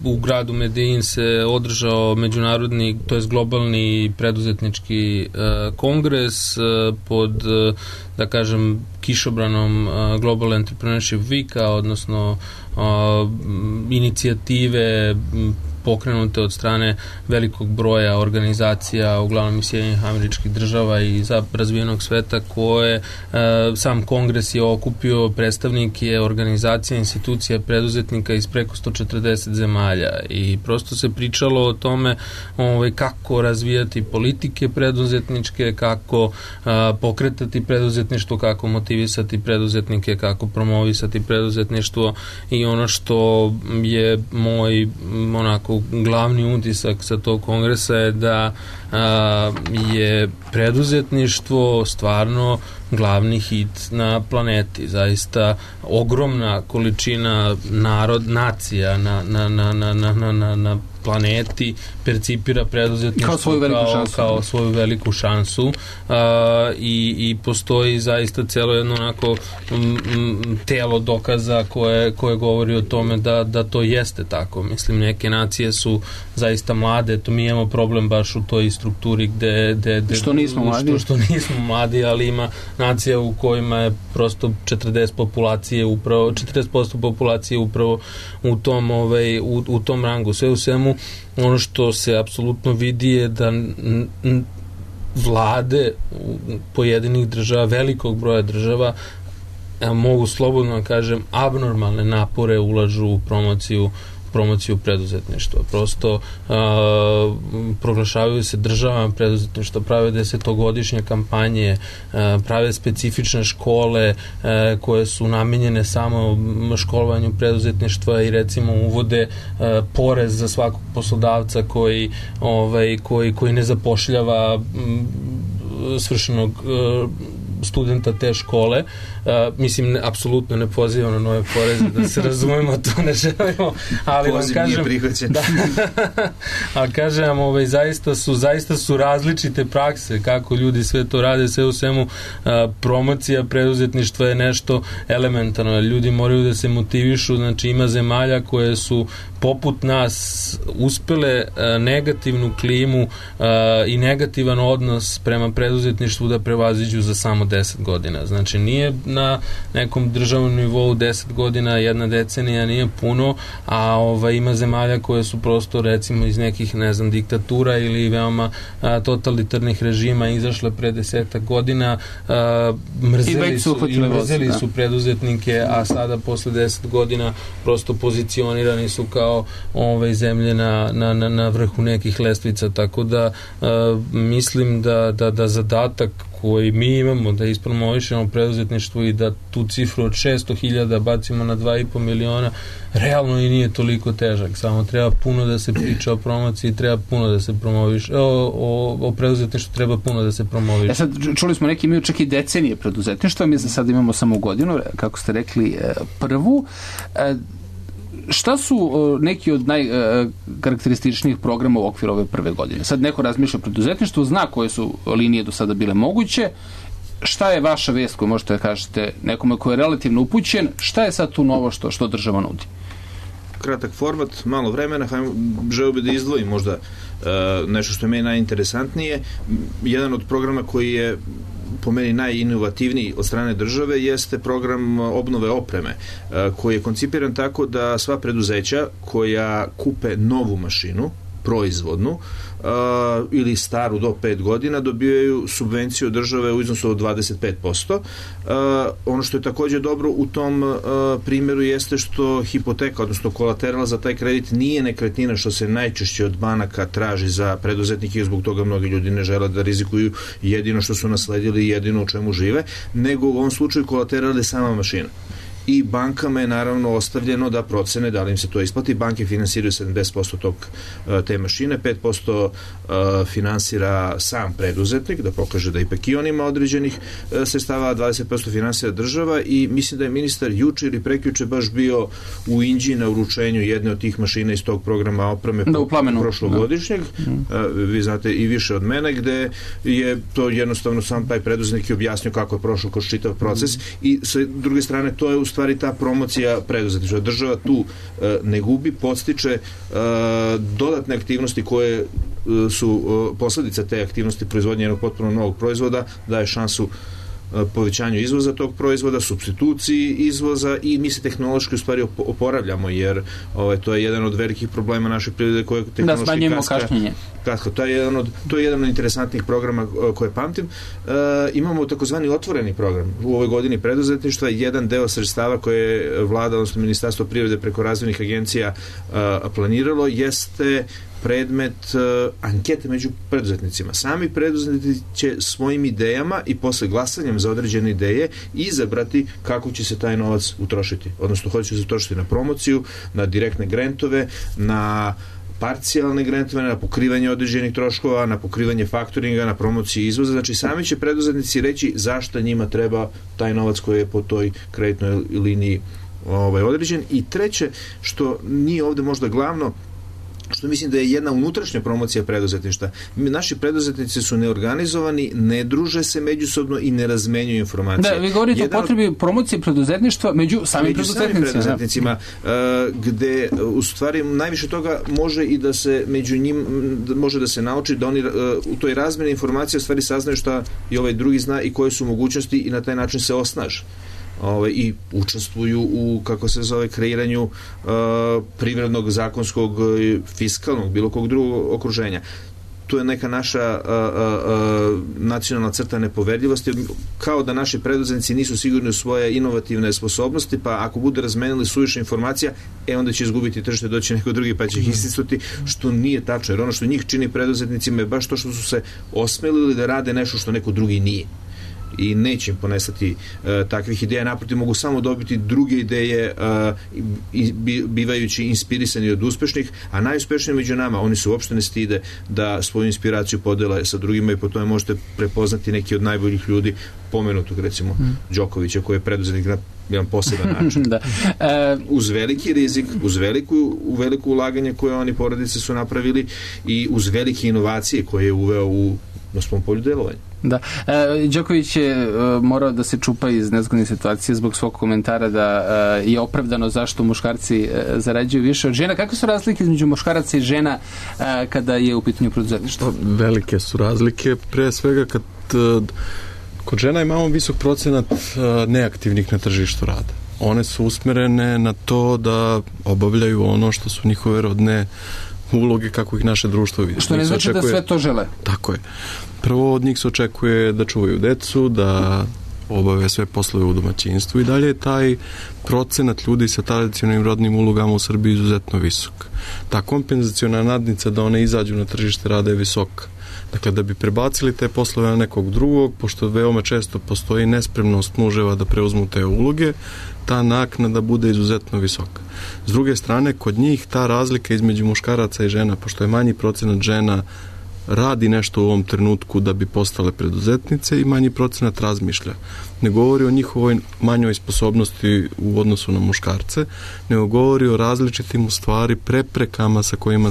U gradu Medellin se održao međunarodni, to jest globalni preduzetnički kongres pod, da kažem, kišobranom Global Entrepreneurship Weeka, odnosno inicijative pokrenute od strane velikog broja organizacija, uglavnom iz Sjedinjenih Američkih Država i razvijenog sveta, koje sam kongres je okupio predstavnike organizacija, institucija, preduzetnika iz preko 140 zemalja i prosto se pričalo o tome kako razvijati politike preduzetničke, kako pokretati preduzetništvo, kako motivisati preduzetnike, kako promovisati preduzetništvo i ono što je moj glavni utisak sa tog kongresa je da je preduzetništvo stvarno glavni hit na planeti. Zaista ogromna količina nacija na planeti percipira preduzetništvo kao svoju veliku šansu i postoji zaista celo jedno onako telo dokaza koje govori o tome da to jeste tako. Mislim, neke nacije su zaista mlade, to mi imamo problem baš u toj strukturi gde što nismo mladi. Što nismo mladi, ali ima nacija u kojima je prosto 40% populacije upravo u tom rangu. Sve u svemu, ono što se apsolutno vidi je da vlade pojedinih država, velikog broja država, mogu slobodno kažem, abnormalne napore ulažu u promociju preduzetništva. Prosto proglašavaju se državama preduzetništva, prave 10-godišnje kampanje, prave specifične škole koje su namenjene samo školovanju preduzetništva i recimo uvode porez za svakog poslodavca koji ne zapošljava svršenog studenta te škole. Mislim, apsolutno ne pozivam na nove poreze, da se razumemo, to ne želimo, ali vam kažem, ali kažem vam, zaista su različite prakse kako ljudi sve to rade, sve u svemu promocija preduzetništva je nešto elementarno, ljudi moraju da se motivišu, znači ima zemalja koje su poput nas uspele negativnu klimu i negativan odnos prema preduzetništvu da prevaziđu za samo 10 godina. Znači nije na nekom državnom nivou 10 godina, jedna decenija nije puno, a ima zemalja koje su prosto recimo iz nekih, ne znam, diktatura ili veoma totalitarnih režima izašle pre 10 godina, mrzeli su preduzetnike, a sada posle 10 godina prosto pozicionirani su kao zemlje na vrhu nekih lestvica, tako da mislim da zadatak koji mi imamo da ispromovišemo preduzetništvo i da tu cifru od 600.000 bacimo na 2,5 miliona, realno i nije toliko težak, samo treba puno da se priča o promociji, treba puno da se promoviš, o preduzetništvu treba puno da se promoviš. Sad čuli smo neki imaju čak i decenije preduzetništva, mi za sad imamo samo godinu, kako ste rekli, prvu. Šta su neki od najkarakterističnijih programa u okviru ove prve godine? Sad neko razmišlja o preduzetništvu, zna koje su linije do sada bile moguće. Šta je vaša vest koju možete da kažete nekome koji je relativno upućen? Šta je sad tu novo što država nudi? Kratak format, malo vremena, želeo bih da izdvojim možda nešto što je meni najinteresantnije. Jedan od programa koji je po meni najinovativniji od strane države jeste program obnove opreme, koji je koncipiran tako da sva preduzeća koja kupe novu mašinu, proizvodnu, ili staru do 5 godina, dobijaju subvenciju od države u iznosu od 25%. Ono što je također dobro u tom primjeru jeste što hipoteka, odnosno kolateral za taj kredit nije nekretnina, što se najčešće od banaka traži za preduzetnike i zbog toga mnogi ljudi ne žele da rizikuju jedino što su nasledili i jedino u čemu žive, nego u ovom slučaju kolateral je sama mašina. I bankama je naravno ostavljeno da procene da li im se to isplati. Banke finansiraju 70% te mašine, 5% finansira sam preduzetnik, da pokaže da ipak i on ima određenih sredstava, 20% finansira država i mislim da je ministar juče ili prekjuče baš bio u Inđiji na uručenju jedne od tih mašina iz tog programa opreme prošlogodišnjeg. Vi znate i više od mene, gde je to jednostavno sam taj preduzetnik objasnio kako je prošao kroz čitav proces i sa druge strane to je u stvari ta promocija preduzetništva. Država tu ne gubi, podstiče dodatne aktivnosti koje su posledica te aktivnosti proizvodnje jednog potpuno novog proizvoda, daje šansu povećanju izvoza tog proizvoda, supstituciji izvoza i mi se tehnološki u stvari oporavljamo, jer to je jedan od velikih problema naše privrede koje tehnološki smanjujemo kašnjenje. To je jedan od interesantnih programa koje pamtim. Imamo takozvani otvoreni program u ovoj godini preduzetništva. Jedan deo sredstava koje je vlada, odnosno Ministarstvo privrede preko razvojnih agencija planiralo jeste predmet ankete među preduzetnicima. Sami preduzetnici će svojim idejama i posle glasanjem za određene ideje izabrati kako će se taj novac utrošiti. Odnosno, hoće se utrošiti na promociju, na direktne grantove, na parcijalne grantove, na pokrivanje određenih troškova, na pokrivanje faktoringa, na promociju izvoza. Znači, sami će preduzetnici reći zašto njima treba taj novac koji je po toj kreditnoj liniji određen. I treće, što nije ovde možda glavno, što mislim da je jedna unutrašnja promocija preduzetništva. Naši preduzetnici su neorganizovani, ne druže se međusobno i ne razmenjuju informacije. Da, vi govorite o potrebi promocije preduzetništva među samim preduzetnicima. Gde u stvari najviše toga može i da se među njim može da se nauči da oni u toj razmjeni informacija u stvari saznaju šta i ovaj drugi zna i koje su mogućnosti i na taj način se osnaže. I učestvuju u, kreiranju privrednog, zakonskog, fiskalnog, bilo kog drugog okruženja. tu je neka naša nacionalna crta nepoverljivosti, kao da naši preduzetnici nisu sigurni u svoje inovativne sposobnosti, pa ako bude razmenili suviše informacija, onda će izgubiti tržište, doći neko drugi pa će ih istisnuti, što nije tačno, jer ono što njih čini preduzetnicima je baš to što su se osmelili da rade nešto što neko drugi nije. I neće im ponestati takvih ideja, naprotiv mogu samo dobiti druge ideje bivajući inspirisani od uspešnih, a najuspešniji među nama, oni se uopšte ne stide da svoju inspiraciju podele sa drugima i po tome možete prepoznati neki od najboljih ljudi, pomenutog recimo Đokovića, koji je preduzetnik na jedan poseban način. Da. Uz veliki rizik, uz veliko ulaganje koje oni porodice su napravili i uz velike inovacije koje je uveo na svom polju delovanja. Da. Đoković je morao da se čupa iz nezgodne situacije zbog svog komentara da je opravdano zašto muškarci zarađuju više od žena. Kakve su razlike između muškaraca i žena kada je u pitanju preduzetništvo? Velike su razlike. Pre svega kod žena imamo visok procenat neaktivnih na tržištu rada. One su usmerene na to da obavljaju ono što su njihove rodne uloge kako ih naše društvo vidi. Što ne znači da sve to žele. Tako je. Prvo od njih se očekuje da čuvaju decu, da obave sve poslove u domaćinstvu i dalje je taj procenat ljudi sa tradicionalnim rodnim ulogama u Srbiji izuzetno visok. Ta kompenzaciona nadnica da one izađu na tržište rada je visoka. Dakle, da bi prebacili te poslove na nekog drugog, pošto veoma često postoji nespremnost muževa da preuzmu te uloge, ta naknada bude izuzetno visoka. S druge strane, kod njih ta razlika između muškaraca i žena, pošto je manji procenat žena radi nešto u ovom trenutku da bi postale preduzetnice i manji procenat razmišlja. Ne govori o njihovoj manjoj sposobnosti u odnosu na muškarce, nego govori o različitim u stvari preprekama sa kojima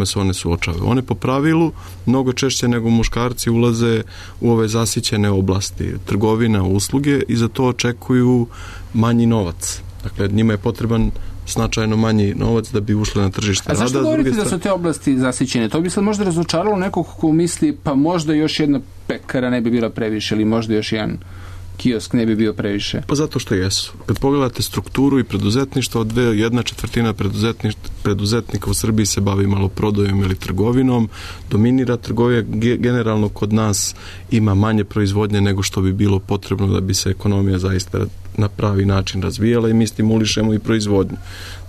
se one suočavaju. One po pravilu mnogo češće nego muškarci ulaze u ove zasićene oblasti, trgovina, usluge i za to očekuju manji novac. Dakle, njima je potreban značajno manji novac da bi ušle na tržište rada. A zašto govorite da su te oblasti zasićene? To bi sad možda razočaralo nekog ko misli pa možda još jedna pekara ne bi bila previše ili možda još jedan kiosk ne bi bio previše. Pa zato što jesu. Kad pogledate strukturu i preduzetništvo, 1/4 preduzetnika u Srbiji se bavi maloprodajom ili trgovinom, dominira trgovija, generalno kod nas ima manje proizvodnje nego što bi bilo potrebno da bi se ekonomija zaista na pravi način razvijala i mi stimulišemo i proizvodnju.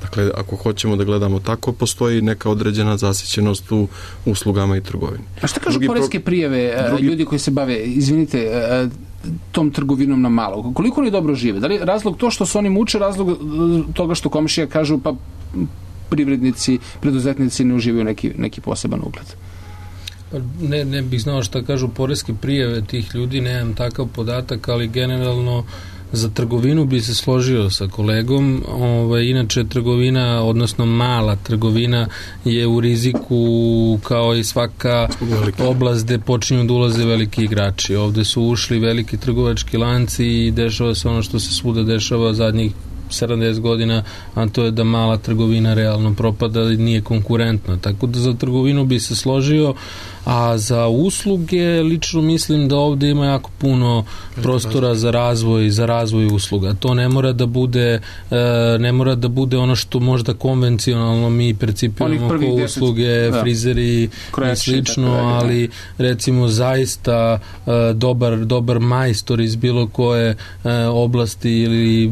Dakle, ako hoćemo da gledamo tako, postoji neka određena zasićenost u uslugama i trgovini. A šta kažu poreske prijave ljudi koji se bave, izvinite, tom trgovinom na malo? Koliko oni dobro žive? Da li je razlog to što se oni muče, razlog toga što komšija kažu pa privrednici, preduzetnici ne uživaju neki poseban ugled? Ne bih znao šta kažu poreske prijave tih ljudi, nemam takav podatak, ali generalno za trgovinu bi se složio sa kolegom. Inače, trgovina, odnosno mala trgovina je u riziku kao i svaka oblast gde počinju da ulaze veliki igrači. Ovde su ušli veliki trgovački lanci i dešava se ono što se svuda dešava zadnjih 70 godina, a to je da mala trgovina realno propada i nije konkurentna. Tako da za trgovinu bi se složio, a za usluge lično mislim da ovde ima jako puno prostora za razvoj usluga. To ne mora da bude ono što možda konvencionalno mi percipiramo kao usluge, frizeri i slično, ali recimo zaista dobar majstor iz bilo koje oblasti ili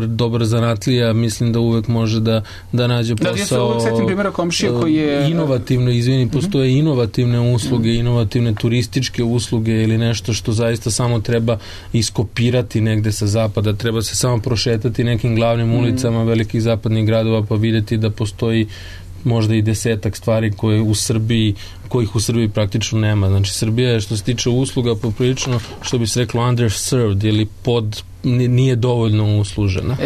dobar zanatlija, mislim da uvek može da nađe posao. Ja se uvek setim primjera komšije koji je inovativno, postoje inovativne usluge, inovativne turističke usluge ili nešto što zaista samo treba iskopirati negde sa zapada, treba se samo prošetati nekim glavnim ulicama velikih zapadnih gradova pa videti da postoji možda i 10 stvari kojih u Srbiji praktično nema. Znači, Srbija je što se tiče usluga poprilično, što bi se reklo, underserved ili nije dovoljno uslužena.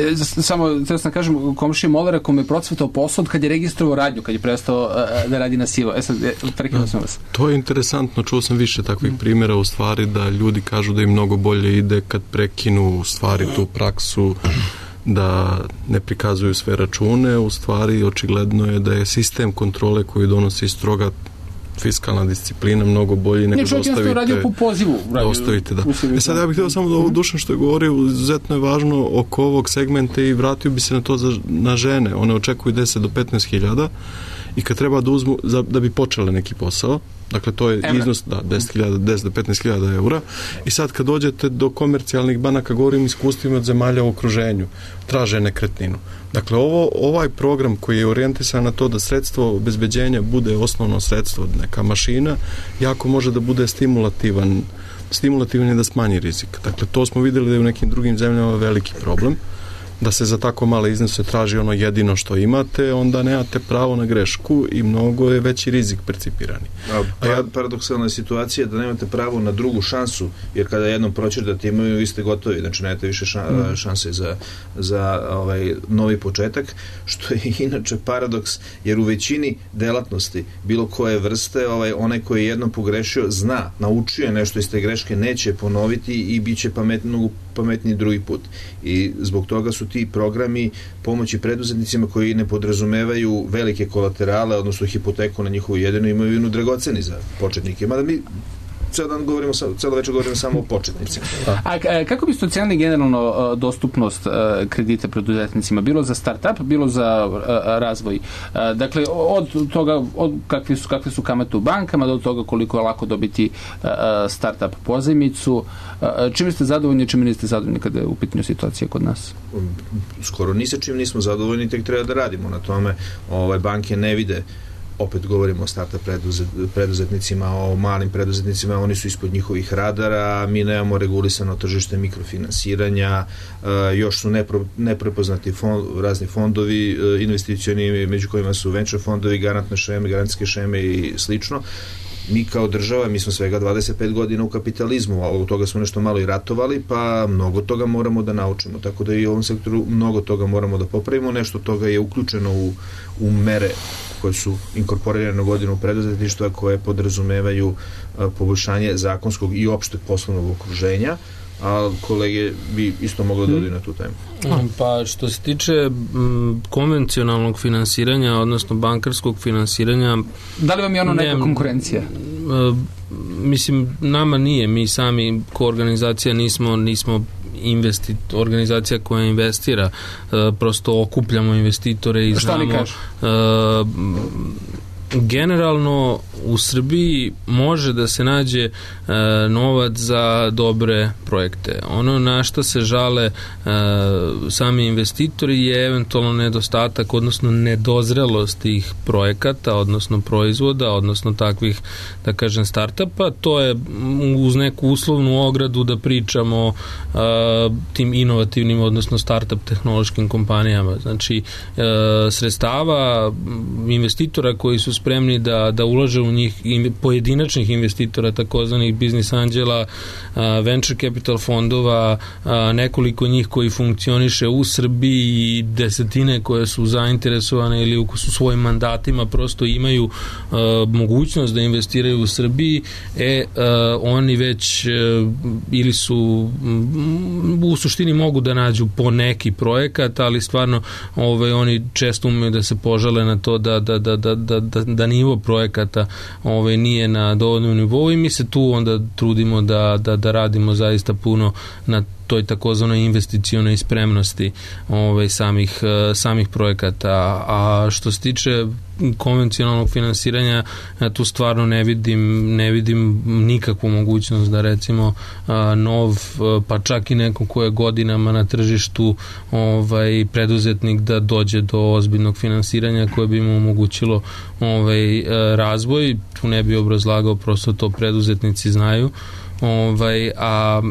Samo, treba sam kažem, komšije Molera kome je procvetao posao kad je registrovao radnju, kad je prestao da radi na sivo. Sad, prekinuo sam vas. To je interesantno, čuo sam više takvih primjera u stvari da ljudi kažu da im mnogo bolje ide kad prekinu u stvari tu praksu da ne prikazuju sve račune, u stvari očigledno je da je sistem kontrole koji donosi stroga fiskalna disciplina mnogo bolji nego da ostavite. Sad ja bih htio samo da ovo Dušan što je govorio, izuzetno je važno oko ovog segmenta i vratio bi se na to na žene. One očekuju 10 do 15 hiljada i kad treba da uzmu da bi počele neki posao, dakle to je iznos 10 do 15.000 eura, i sad kad dođete do komercijalnih banaka, govorim iskustvima od zemalja u okruženju, traže nekretninu. Dakle, ovaj program koji je orijentisan na to da sredstvo obezbeđenja bude osnovno sredstvo, neka mašina, jako može da bude stimulativan je da smanji rizik. Dakle, to smo vidjeli da je u nekim drugim zemljama veliki problem, da se za tako male iznose traži ono jedino što imate, onda nemate pravo na grešku i mnogo je veći rizik percipirani. Paradoksalna je situacija da nemate pravo na drugu šansu, jer kada jednom proćerdate imaju, vi ste gotovi, znači nemate više šanse za novi početak, što je inače paradoks, jer u većini delatnosti bilo koje vrste, onaj koji je jednom pogrešio zna, naučio je nešto iz te greške, neće ponoviti i bit će pametniji drugi put. I zbog toga su ti programi pomoći preduzetnicima koji ne podrazumevaju velike kolaterale, odnosno hipoteku na njihovu jedinu imovinu, dragoceni za početnike. Mada mi celo večer govorimo samo o početnicima. A kako biste ocenili generalno dostupnost kredita preduzetnicima, bilo za start-up, bilo za razvoj? Dakle, od toga kakve su kamate u bankama, do toga koliko je lako dobiti start-up pozajmicu. Čime ste zadovoljni, čime niste zadovoljni kada je u pitanju situacija kod nas? Skoro ni sa čim nismo zadovoljni, tek treba da radimo na tome. Banke ne vide, opet govorimo o startup preduzetnicima, o malim preduzetnicima, oni su ispod njihovih radara, mi nemamo regulisano tržište mikrofinansiranja, još su neprepoznati razni fondovi investicioni, među kojima su venture fondovi, garantne šeme, garantske šeme i slično. Mi kao država, mi smo svega 25 godina u kapitalizmu, a od toga smo nešto malo i ratovali, pa mnogo toga moramo da naučimo, tako da i u ovom sektoru mnogo toga moramo da popravimo, nešto toga je uključeno u mere koje su inkorporirane na godinu preduzetništva, koje podrazumevaju poboljšanje zakonskog i opšteg poslovnog okruženja, a kolege bi isto mogli da odaju na tu temu. Pa što se tiče konvencionalnog finansiranja, odnosno bankarskog finansiranja, da li vam je ono neka konkurencija? Mislim, nama nije, mi sami ko organizacija nismo organizacija koja investira, prosto okupljamo investitore i znamo. Šta oni kažu? Generalno u Srbiji može da se nađe novac za dobre projekte. Ono na što se žale sami investitori je eventualno nedostatak, odnosno nedozrelost tih projekata, odnosno proizvoda, odnosno takvih, da kažem, startupa. To je uz neku uslovnu ogradu da pričamo tim inovativnim, odnosno startup tehnološkim kompanijama. Znači, sredstava investitora koji su spremni da ulaže u njih, pojedinačnih investitora, takozvanih biznis anđela, venture capital fondova, nekoliko njih koji funkcioniše u Srbiji i desetine koje su zainteresovane ili su svojim mandatima prosto imaju mogućnost da investiraju u Srbiji, oni već ili su u suštini mogu da nađu po neki projekat, ali stvarno oni često umeju da se požale na to da nivo projekata nije na dovoljnom nivou i mi se tu onda trudimo da radimo zaista puno na toj takozvanoj investicionoj spremnosti samih projekata. A što se tiče konvencionalnog finansiranja, tu stvarno ne vidim nikakvu mogućnost da recimo pa čak i neko ko je godinama na tržištu preduzetnik da dođe do ozbiljnog finansiranja koje bi mu omogućilo razvoj. Tu ne bi obrazlagao, prosto to preduzetnici znaju. A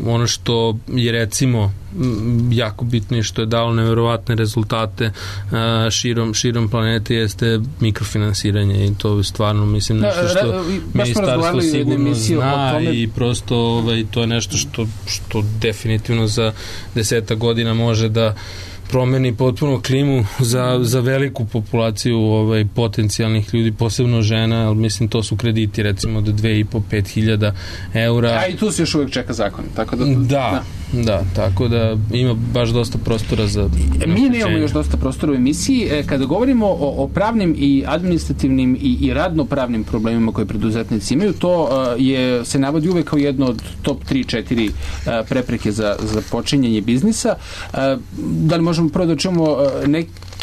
ono što je recimo jako bitno i što je dalo neverovatne rezultate širom planete jeste mikrofinansiranje i to stvarno mislim nešto što ministarstvo sigurno zna i prosto to je nešto što definitivno za 10 godina može da promeni potpuno klimu za veliku populaciju potencijalnih ljudi, posebno žena, ali mislim to su krediti recimo do 2.500-5.000 eura. A i tu se još uvijek čeka zakon. Tako da, tako da ima baš dosta prostora za... Mi nemamo još dosta prostora u emisiji. Kada govorimo o pravnim i administrativnim i radno-pravnim problemima koje preduzetnici imaju, to se navodi uvek kao jedno od top 3-4 prepreke za počinjanje biznisa. Da li možemo prvo da čujemo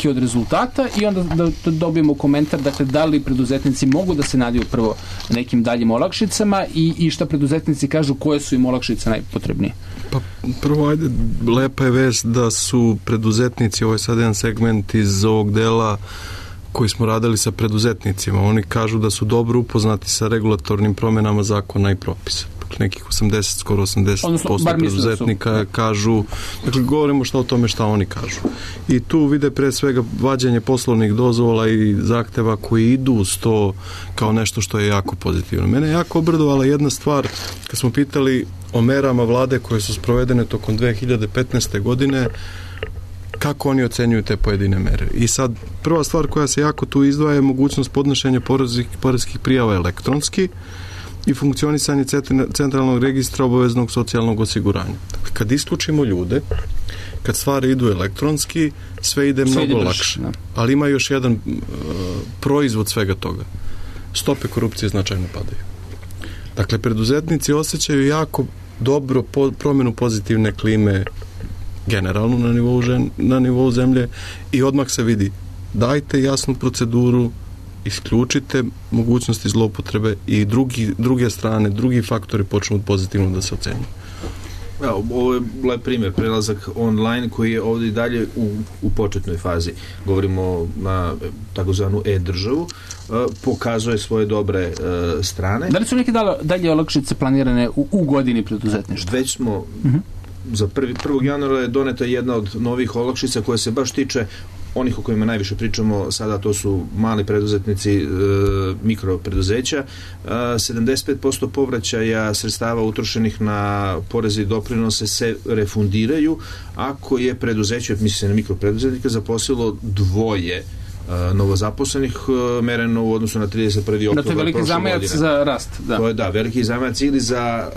utiske od rezultata i onda da dobijemo komentar, dakle, da li preduzetnici mogu da se nadiju prvo nekim daljim olakšicama i šta preduzetnici kažu koje su im olakšice najpotrebnije. Pa prvo, ajde, lepa je vest da su preduzetnici, ovo je sad jedan segment iz ovog dela koji smo radili sa preduzetnicima, oni kažu da su dobro upoznati sa regulatornim promjenama zakona i propisa. Nekih 80, skoro 80% preduzetnika kažu, dakle, govorimo šta o tome šta oni kažu. I tu vide pre svega vađenje poslovnih dozvola i zahteva koji idu uz to kao nešto što je jako pozitivno. Mene je jako obradovala jedna stvar, kad smo pitali o merama vlade koje su sprovedene tokom 2015. godine, kako oni ocenjuju te pojedine mere. I sad, prva stvar koja se jako tu izdvaja je mogućnost podnošenja poreskih prijava elektronski i funkcionisanje centralnog registra obaveznog socijalnog osiguranja. Kad isključimo ljude, kad stvari idu elektronski, sve ide mnogo lakše. Ali ima još jedan proizvod svega toga. Stope korupcije značajno padaju. Dakle, preduzetnici osjećaju jako dobro promjenu pozitivne klime generalno na nivou zemlje i odmah se vidi, dajte jasnu proceduru, isključite mogućnosti zloupotrebe i druge strane, drugi faktori počnu pozitivno da se ocenjuju. Ovo je lep primjer, prelazak online koji je ovdje i dalje u početnoj fazi. Govorimo na takozvanu e-državu, pokazuje svoje dobre strane. Da li su neke dalje olakšice planirane u godini preduzetništva? Već smo za 1. januara je doneta jedna od novih olakšica koja se baš tiče onih o kojima najviše pričamo sada, to su mali preduzetnici, mikropreduzeća. 75% povraćaja sredstava utrošenih na poreze i doprinose se refundiraju ako je preduzeće, misli se na mikropreduzetnika, zaposlilo dvoje novozaposlenih, mereno u odnosu na 31. oktobar. To je veliki zamajac za rast. Da. To je, veliki zamajac ili za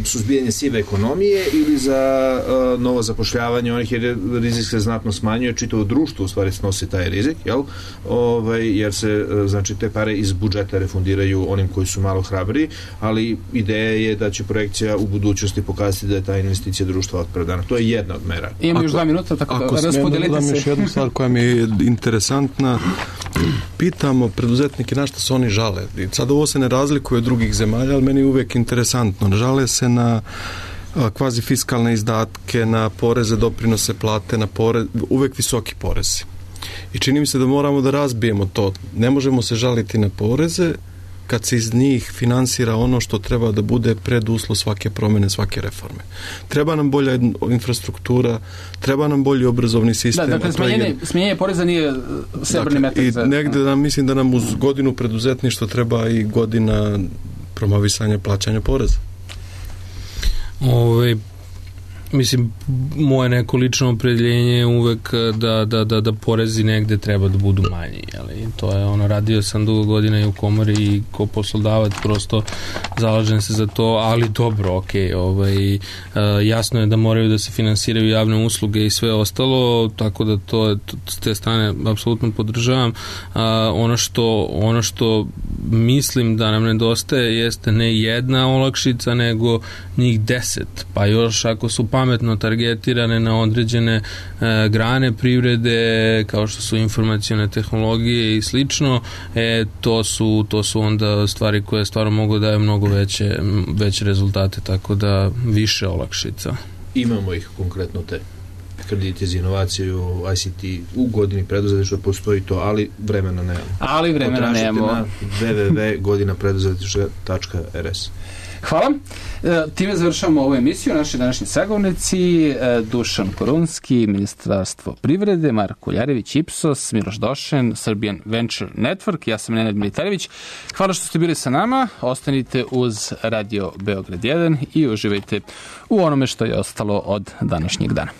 suzbijanje sive ekonomije ili za novo zapošljavanje onih, jer rizik se znatno smanjuje, čitavo društvo u stvari snosi taj rizik, jer se, znači, te pare iz budžeta refundiraju onim koji su malo hrabriji, ali ideja je da će projekcija u budućnosti pokazati da je ta investicija društva opravdana. To je jedna od mera. Imamo još 2 minuta, tako da raspodelite se. Još jednu stvar koja mi je interesantna. Pitamo preduzetnike na što se oni žale. Sad ovo se ne razlikuje od drugih zemalja, ali meni je uvijek interesantno. Žale se na kvazi fiskalne izdatke, na poreze, doprinose, plate, na uvijek visoki porezi. I čini mi se da moramo da razbijemo to. Ne možemo se žaliti na poreze kad se iz njih finansira ono što treba da bude preduslov svake promjene, svake reforme. Treba nam bolja infrastruktura, treba nam bolji obrazovni sistem. Dakle, smanjenje poreza nije srebrni metak. I negde mislim da nam uz godinu preduzetništva treba i godina promovisanja plaćanja poreza. Mislim, moje neko lično opredjeljenje je uvek da porezi negde treba da budu manji, ali to je radio sam dugo godina i u komori i ko poslodavac prosto zalažem se za to, ali dobro, jasno je da moraju da se finansiraju javne usluge i sve ostalo, tako da to s te strane apsolutno podržavam. Ono što mislim da nam nedostaje jeste ne jedna olakšica, nego njih 10, pa još ako su pametno targetirane na određene grane privrede, kao što su informacione tehnologije i slično, to su onda stvari koje stvarno mogu da daju mnogo veće rezultate, tako da više olakšica. Imamo ih konkretno te krediti za inovaciju, ICT, u godini preduzetništva postoji to, ali vremena nemamo. Na www.godinapreduzetništva.rs. Hvala. Time završavamo ovu emisiju. Naši današnji sagovornici Dušan Korunski, Ministarstvo privrede, Marko Ljarević, Ipsos, Miloš Došen, Serbian Venture Network, ja sam Nenad Militarević. Hvala što ste bili sa nama. Ostanite uz Radio Beograd 1 i uživajte u onome što je ostalo od današnjeg dana.